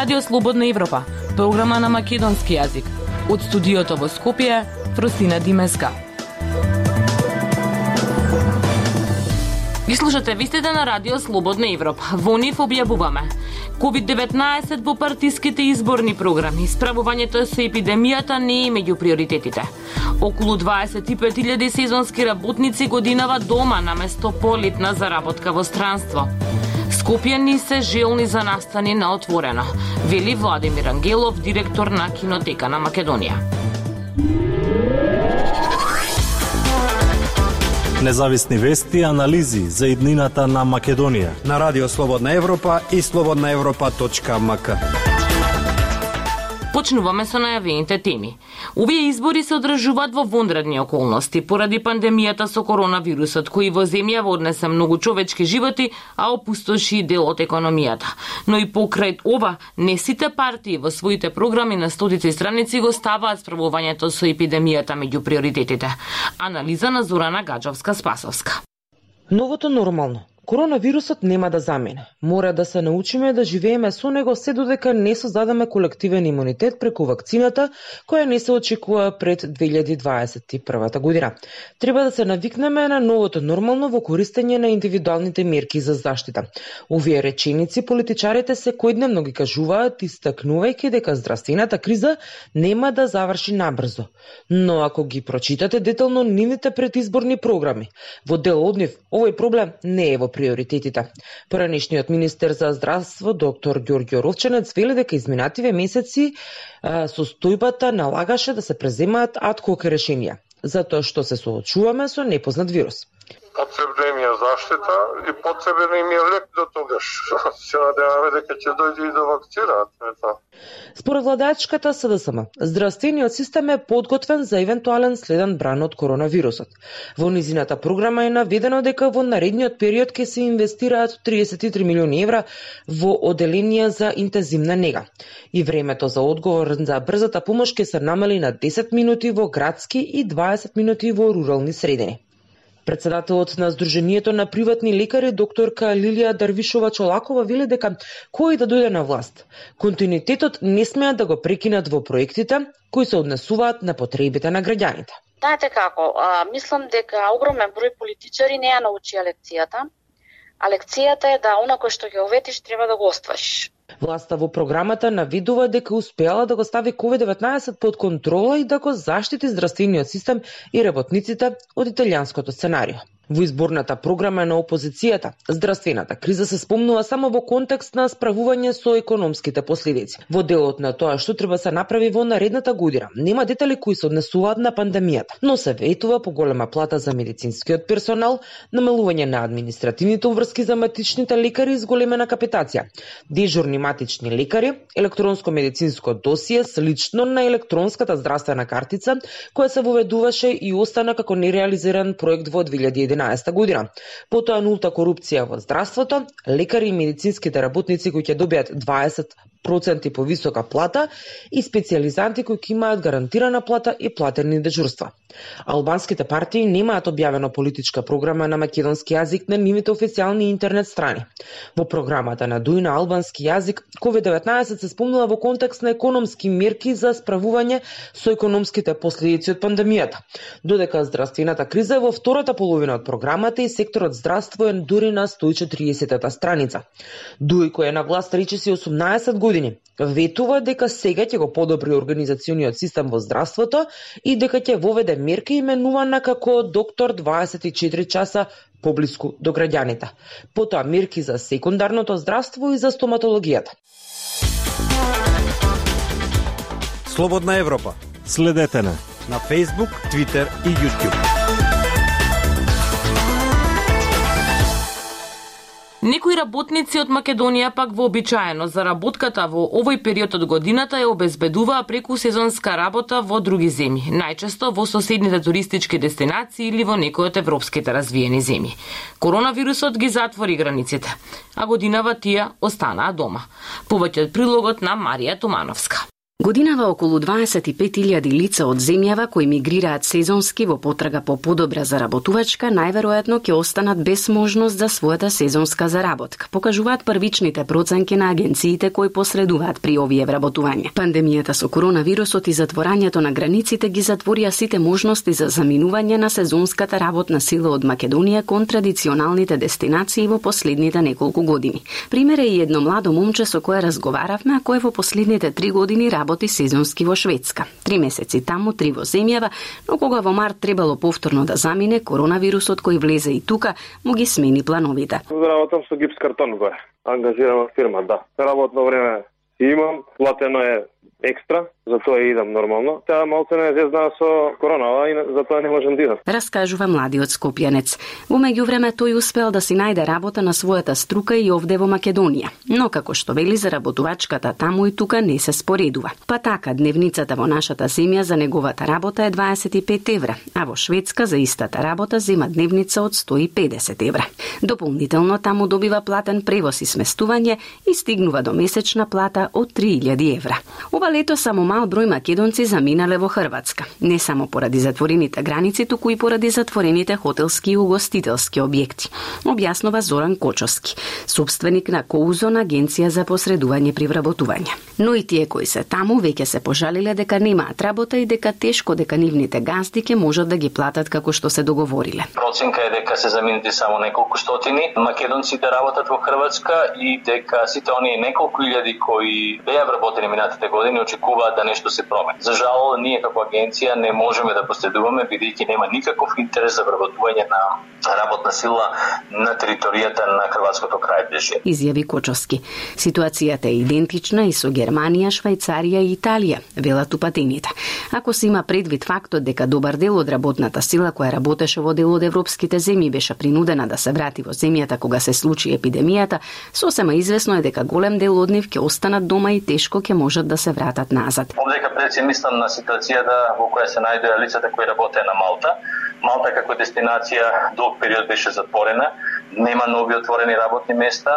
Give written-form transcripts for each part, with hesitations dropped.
Радио Слободна Европа, програма на македонски јазик. Од студиото во Скопје, Фростина Димеска. Ги слушате вистите на Радио Слободна Европа. Во нив објавуваме COVID-19 во партиските изборни програми. Справувањето со епидемијата не е меѓу приоритетите. Околу 25.000 сезонски работници годинава дома наместо полетна заработка во странство. Скопјани се желни за настани на отворено, вели Владимир Ангелов, директор на Кинотека на Македонија. Независни вести и анализи за иднината на Македонија на Радио Слободна Европа и slobodnaevropa.mk. Почнуваме со најавените теми. Овие избори се одржуваат во вонредни околности поради пандемијата со коронавирусот, кој во земјава однесе многу човечки животи, а опустоши дел од економијата. Но и покрај ова, не сите партии во своите програми на стотици страници го ставаат справувањето со епидемијата меѓу приоритетите. Анализа на Зорана Гаджовска-Спасовска. Новото нормално. Коронавирусот нема да замине. Мора да се научиме да живееме со него се додека не создадеме колективен имунитет преку вакцината, која не се очекува пред 2021 година. Треба да се навикнеме на новото нормално во користење на индивидуалните мерки за заштита. Овие реченици политичарите секојдневно ги кажуваат, истакнувајќи дека здравствената криза нема да заврши набрзо. Но ако ги прочитате детално нивните предизборни програми, во дел од нив овој проблем не е во приоритетите. Поранешниот министер за здравство, доктор Ѓорѓе Ровченец, вели дека изминативе месеци состојбата налагаше да се преземаат ад-хок решенија, затоа што се соочуваме со непознат вирус. Потребна е заштита и потребен е лек до тогаш. Се надеваме дека ќе дојде и до вакцина. Според владачката СДСМ, здравствениот систем е подготвен за евентуален следен бран од коронавирусот. Во низината програма е наведено дека во наредниот период ќе се инвестираат 33 милиони евра во оделенија за интензивна нега. И времето за одговор за брзата помош ќе се намали на 10 минути во градски и 20 минути во рурални средини. Председателот на Сдруженијето на приватни лекари, докторка Лилија Дарвишова-Чолакова, вели дека кој да дојде на власт, континуитетот не смеат да го прекинат во проектите кои се однесуваат на потребите на граѓаните. Знаете како, мислам дека огромен број политичари не ја научија лекцијата, а лекцијата е да она кој што ќе оветиш треба да го оствариш. Власта во програмата навидува дека успеала да го стави COVID-19 под контрола и да го заштити здравствениот систем и работниците од италијанското сценарио. Во изборната програма на опозицијата, здравствената криза се спомнува само во контекст на справување со економските последици. Во делот на тоа што треба се направи во наредната година, нема детали кои се однесуваат на пандемијата, но се ветува поголема плата за медицинскиот персонал, намалување на административните врски за матичните лекари и зголемена капитација, дежурни матични лекари, електронско медицинско досие слично на електронската здравствена картица, која се воведуваше и остана како нереализиран проект во 2011 година. Потоа нулта корупција во здравството, лекари и медицинските работници кои ќе добијат 20% повисока плата и специјализанти кои ќе имаат гарантирана плата и платени дежурства. Албанските партии немаат објавена политичка програма на македонски јазик на нивните официјални интернет страни. Во програмата на Дуј на албански јазик, COVID-19 се спомнува во контекст на економски мерки за справување со економските последици од пандемијата. Додека здравствената криза е во втората половина од програмата и секторот здравство е дури на 140-та страница. Дуј, кој е на власт речиси 18 години, ветува дека сега ќе го подобри организациониот систем во здравството и дека ќе воведе мерка именувана како доктор 24 часа поблиску до граѓаните. Потоа мерки за секундарното здравство и за стоматологијата. Слободна Европа. Следете на Facebook, Twitter и YouTube. Некои работници од Македонија пак вообичаено заработката во овој период од годината ја обезбедуваа преку сезонска работа во други земји, најчесто во соседните туристички дестинации или во некои од европските развиени земји. Коронавирусот ги затвори границите, а годинава тие останаа дома. Повеќе од прилогот на Марија Тумановска. Годинава околу 25.000 лица од земјава кои мигрираат сезонски во потрага по подобра заработувачка, најверојатно ќе останат без можност за својата сезонска заработка, покажуваат првичните проценки на агенциите кои посредуваат при овие вработувања. Пандемијата со коронавирусот и затворањето на границите ги затворија сите можности за заминување на сезонската работна сила од Македонија кон традиционалните дестинации во последните неколку години. Пример е и едно младо момче со кое разговаравме, а кое во последните 3 години работи сезонски во Шведска. 3 месеци таму, 3 во земјава, но кога во март требало повторно да замине, коронавирусот кој влезе и тука му ги смени плановите. Работам со гипс картон горе. Ангажирана фирма, да. Работно време имам, платено е екстра, затоа идам нормално. Таа малку не зезна со коронава и затоа не можам да идам. Раскажува младиот скопјанец. Во меѓувреме тој успел да си најде работа на својата струка и овде во Македонија. Но како што вели, заработувачката таму и тука не се споредува. Па така, дневницата во нашата земја за неговата работа е 25 евра, а во Шведска за истата работа зема дневница од 150 евра. Дополнително таму добива платен превоз и сместување и стигнува до месечна плата од 3000 евра. Ова лето само мал број македонци заминале во Хрватска, не само поради затворените граници, туку и поради затворените хотелски и угостителски објекти, објаснува Зоран Кочовски, собственик на Коузон, агенција за посредување при вработување. Но и тие кои се таму веќе се пожалиле дека немаат работа и дека тешко дека нивните газди ќе можат да ги платат како што се договориле. Проценка е дека се заминати само неколку стотини македонците работат во Хрватска и дека сите оние неколку илјади кои беа вработени минатите години очекуваат да нешто се промени. За жал, ние како агенција не можеме да посредуваме бидејќи нема никаков интерес за вработување на работна сила на територијата на хрватското крајбрежје. Изјави Кочовски. Ситуацијата е идентична и со Германија, Швајцарија и Италија, велат упатените. Ако се има предвид фактот дека добар дел од работната сила која работеше во дел од европските земји беше принудена да се врати во земјата кога се случи епидемијата, сосема извесно е дека голем дел од нив ќе останат дома и тешко ќе можат да се вратат назад. Овдека пред се мислам на ситуацијата во која се најдоа лицата кои работеа на Малта. Малта како дестинација долг период беше затворена, нема нови отворени работни места,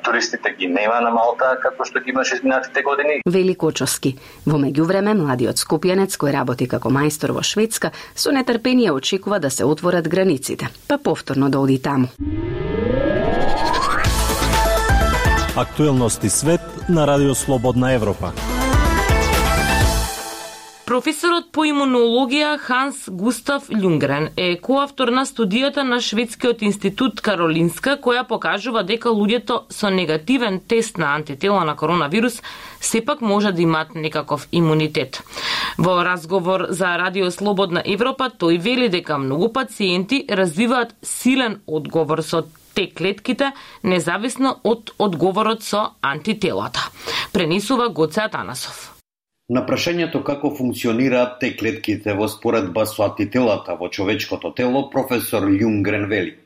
туристите ги нема на Малта како што ги имаше изминатите години. Вели Кочовски. Во меѓувреме младиот скопјанец кој работи како мајстор во Шведска со нетрпение очекува да се отворат границите, па повторно да оди таму. Актуелности свет на Радио Слободна Европа. Професорот по имунологија Ханс Густав Љунгрен е коавтор на студијата на Шведскиот институт Каролинска, која покажува дека луѓето со негативен тест на антитела на коронавирус сепак може да имаат некаков имунитет. Во разговор за Радио Слободна Европа тој вели дека многу пациенти развиваат силен одговор со Т-клетките, независно од одговорот со антителата. Пренесува Гоце Атанасов. На прашањето како функционираат Т-клетките во споредба со антителата во човечкото тело, професор Љунгрен вели: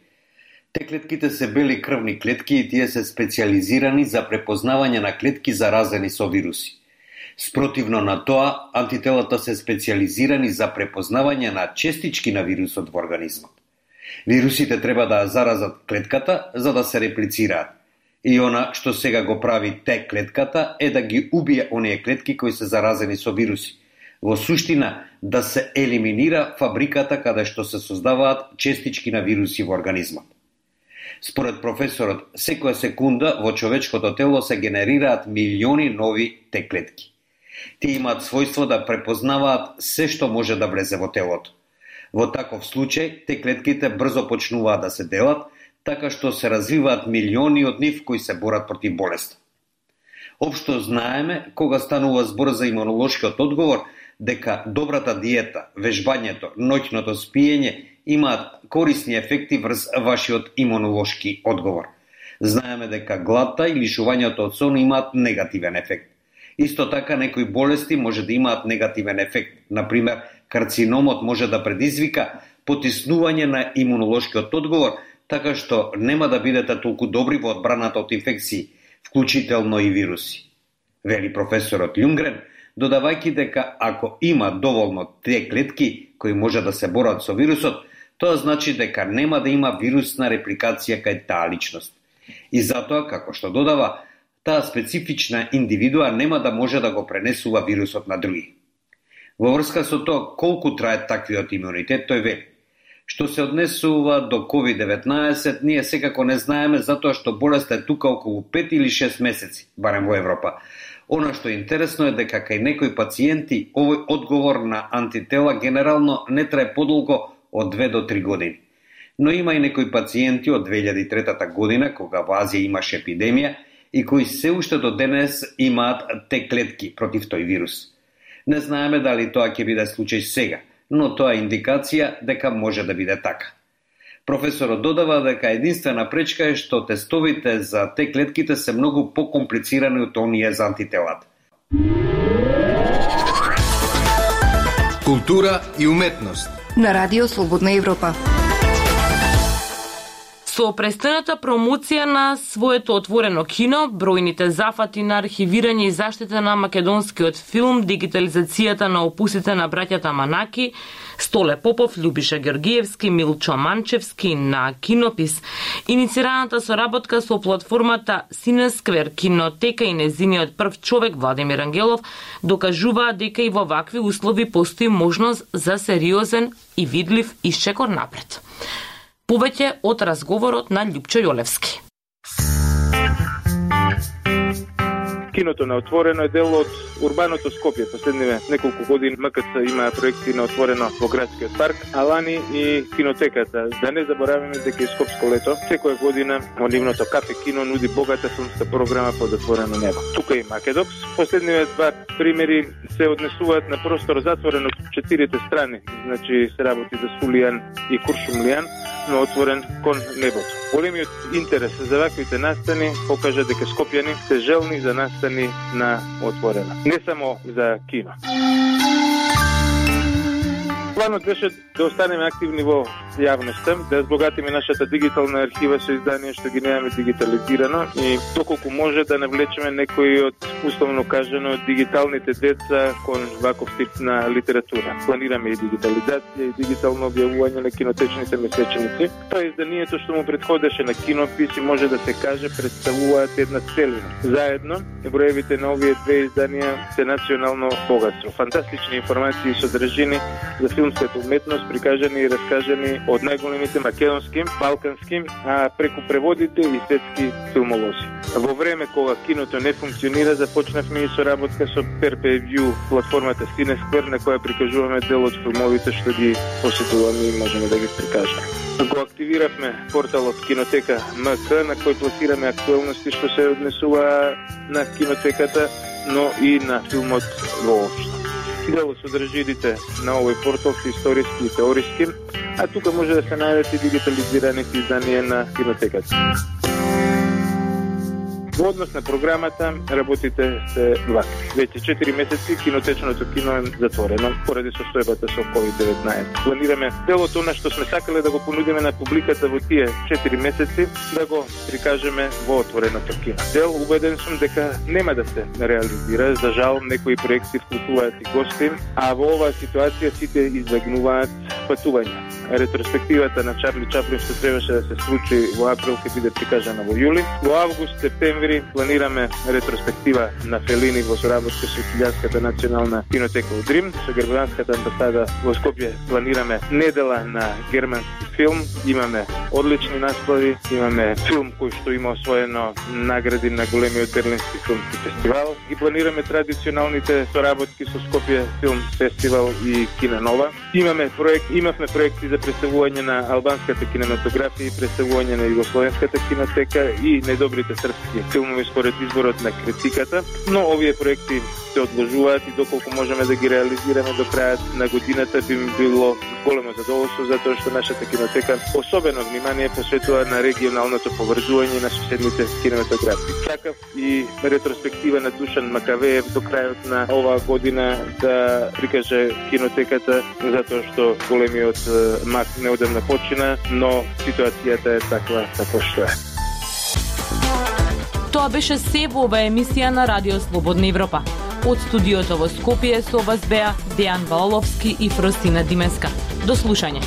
Т-клетките се бели крвни клетки и тие се специализирани за препознавање на клетки заразени со вируси. Спротивно на тоа, антителата се специализирани за препознавање на честички на вирусот во организмот. Вирусите треба да заразат клетката за да се реплицираат. И она што сега го прави Т-клетката е да ги убие оние клетки кои се заразени со вируси. Во суштина, да се елиминира фабриката каде што се создаваат честички на вируси во организмот. Според професорот, секоја секунда во човечкото тело се генерираат милиони нови Т-клетки. Тие имаат својство да препознаваат се што може да влезе во телото. Во таков случај, Т-клетките брзо почнуваат да се делат, така што се развиваат милиони од нив кои се борат против болеста. Општо знаеме, кога станува збор за имунолошкиот одговор, дека добрата диета, вежбањето, ноќното спиење имаат корисни ефекти врз вашиот имунолошки одговор. Знаеме дека гладта и лишувањето од сон имаат негативен ефект. Исто така некои болести може да имаат негативен ефект. Например, карциномот може да предизвика потиснување на имунолошкиот одговор, така што нема да бидете толку добри во одбраната од инфекции, вклучително и вируси. Вели професорот Љунгрен, додавајќи дека ако има доволно Т-клетки кои може да се борат со вирусот, тоа значи дека нема да има вирусна репликација кај таа личност. И затоа, како што додава, таа специфична индивидуа нема да може да го пренесува вирусот на други. Во врска со тоа колку трае таквиот имунитет, тој вели: што се однесува до COVID-19, ние секако не знаеме затоа што болеста е тука околу 5 или 6 месеци, барем во Европа. Она што е интересно е дека кај некои пациенти овој одговор на антитела генерално не трае подолго од 2 до 3 години. Но има и некои пациенти од 2003 година, кога во Азија имаше епидемија, и кои се уште до денес имаат Т клетки против тој вирус. Не знаеме дали тоа ќе биде случај сега, но тоа е индикација дека може да биде така. Професорот додава дека единствена пречка е што тестовите за Т клетките се многу покомплицирани од оние за антителата. Култура и уметност на Радио Слободна Европа. Со престојната промоција на своето отворено кино, бројните зафати на архивирање и заштита на македонскиот филм, дигитализацијата на опусите на браќата Манаки, Столе Попов, Љубиша Георгиевски, Милчо Манчевски на Кинопис, иницираната соработка со платформата Синесквер Кинотека и незиниот прв човек Владимир Ангелов докажуваат дека и во вакви услови постои можност за сериозен и видлив исчекор напред. Повеќе од разговорот на Љупчо Јолевски. Киното на отворено е дел од урбаното Скопје. Последниве неколку години МКЦ има проекти на отворено во градскиот парк, а лани и кинотеката. Да не забораваме дека и Скопско лето секоја година во нивното кафе кино нуди богата филмска програма под отворено небо. Тука и Македокс. Последниве два примери се однесуваат на простор затворен од четирите страни. Значи се работи за Сулијан и Куршумлијан, но отворен кон небото. Големиот интерес за ваквите настани покажа дека скопјани се желни за настани на отворено. Не само за кино. Планот беше да останеме активни во јавноста, да збогатиме нашата дигитална архива со изданија што ги немаме дигитализирано и доколку може да навлечеме некои од, условно кажано, дигиталните деца кон ваков тип на литература. Планираме и дигитализација и дигитално објавување на кинотечните месечници. Тоа изданието што му претходеше на Кинопис и може да се каже представуваат една целина. Заедно, броевите на овие две изданија се национално богатство. Фантастични информации и содржини за филмската уметност, прикажани и раскажани од најголемите македонски, балкански, а преку преводите и светски филмолози. Во време кога киното не функционира, започнавме и соработка со PerPayView, платформата Cineskver, на која прикажуваме дел од филмовите што ги посетуваме и можеме да ги прикажеме. Го активиравме порталот Кинотека МК, на кој пласираме актуелности што се однесува на кинотеката, но и на филмот воопшто. Дел од содржините на овој портал се историски и теориски, а тука може да се најдат и дигитализираните изданија на кинотеката. Во однос на програмата, работите се вакви. Веќе 4 месеци кинотечното кино е затворено поради состојбата со COVID-19. Планираме делот она што сме сакале да го понудиме на публиката во тие 4 месеци, да го прикажеме во отвореното кино. Дел убеден сум дека нема да се реализира, за жал некои проекти вклучуваат и гости, а во оваа ситуација сите избегнуваат патување. Ретроспективата на Чарли Чаплин што требаше да се случи во април ќе биде прикажана во јули. Во август, септември планираме ретроспектива на Фелини во соработка со Италијанската национална кинотека во Рим. Со германската амбасада во Скопје планираме недела на германски филм. Имаме одлични наслади, имаме филм кој што има освоено награди на големиот берлински филмски фестивал. Ги планираме традиционалните соработки со Скопје филм фестивал и Киненова. Имавме проекти за представување на албанската кинематографија и представување на југословенската кинотека и најдобрите српски филмови според изборот на критиката, но овие проекти се одложуваат и доколку можеме да ги реализираме до крајот на годината би ми било големо задоволство, затоа што нашата кинотека особено внимание посветува на регионалното поврзување на соседните кинематографии. Сакав и ретроспектива на Душан Макавеев до крајот на оваа година да прикаже кинотеката, затоа што големиот мак неодамна почина, но ситуацијата е таква што е. Тоа беше се во оваа емисија на Радио Слободна Европа. Од студиото во Скопје со вас беа Дејан Валовски и Фростина Димеска. До слушање.